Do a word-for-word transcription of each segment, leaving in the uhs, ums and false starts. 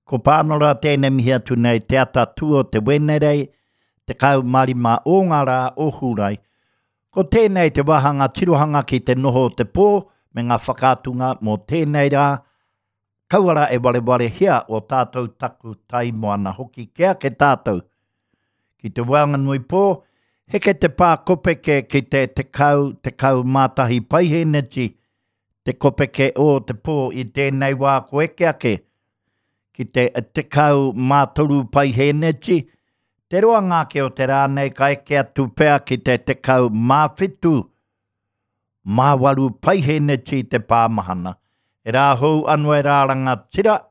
Ko Pānora tēnei mihi atu nei te ata tū o te Wenerei, tekau mā rima o ngā rā o Hūrae. Ko tēnei te wāhanga tirohanga ki te noho o te pō me ngā whakaatunga mō tēnei rā, kaua rā e warewarehia o tātou taku tai moana hoki ke ake tātou ki te waenganui pō, heke te pā kopeke ki te tekau, tekau mā tahi paiheneti, te kopeke o te pō i tēnei wā ko eke ake ki te tekau mā toru paiheneti, te roanga ake o te rā nei ka eke atu pea ki te tekau mā whitu, mā waru paiheneti te pāmahana. E rā hou anō e rā rangatira,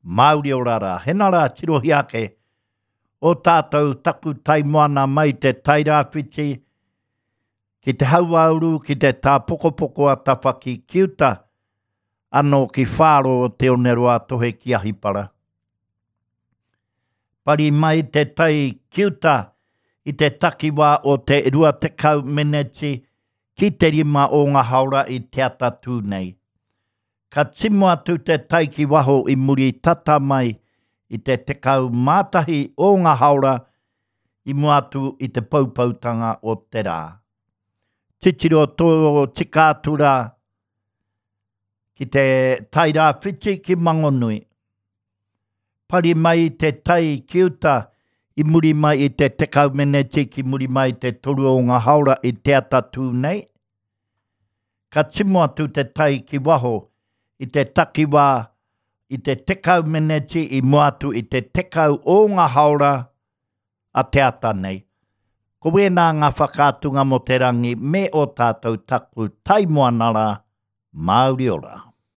Māori ora rā. Hena rā tirohia ake o tātou taku tai moana mai te Tairāwhiti ki te hauāuru, ki te tāpokopoko a Tawhaki ki uta, anō ki Whāro o Te Oneroa Tohe ki Ahipara. Pari mai te tai ki uta i te takiwā o te rua tekau meneti ki te rima o ngā haora i te atatū nei. Ka timo atu te tai ki waho i muri tata mai i te tekau mā tahi o ngā haora i mua atu i te poupoutanga o te rā. Titiro tō tika atu rā ki te Tairāwhiti ki Mangonui. Pari mai te tai ki uta i muri mai i te tekau meneti ki muri mai i te toru o ngā haora i te atatū nei. Ka timo atu te tai ki waho i te takiwā i te tekau meneti i mua atu i te tekau o ngā haora a te ata nei. Ko wēnā ngā whakaatunga mō te rangi me o tātou taku tai moana rā, Māori ora.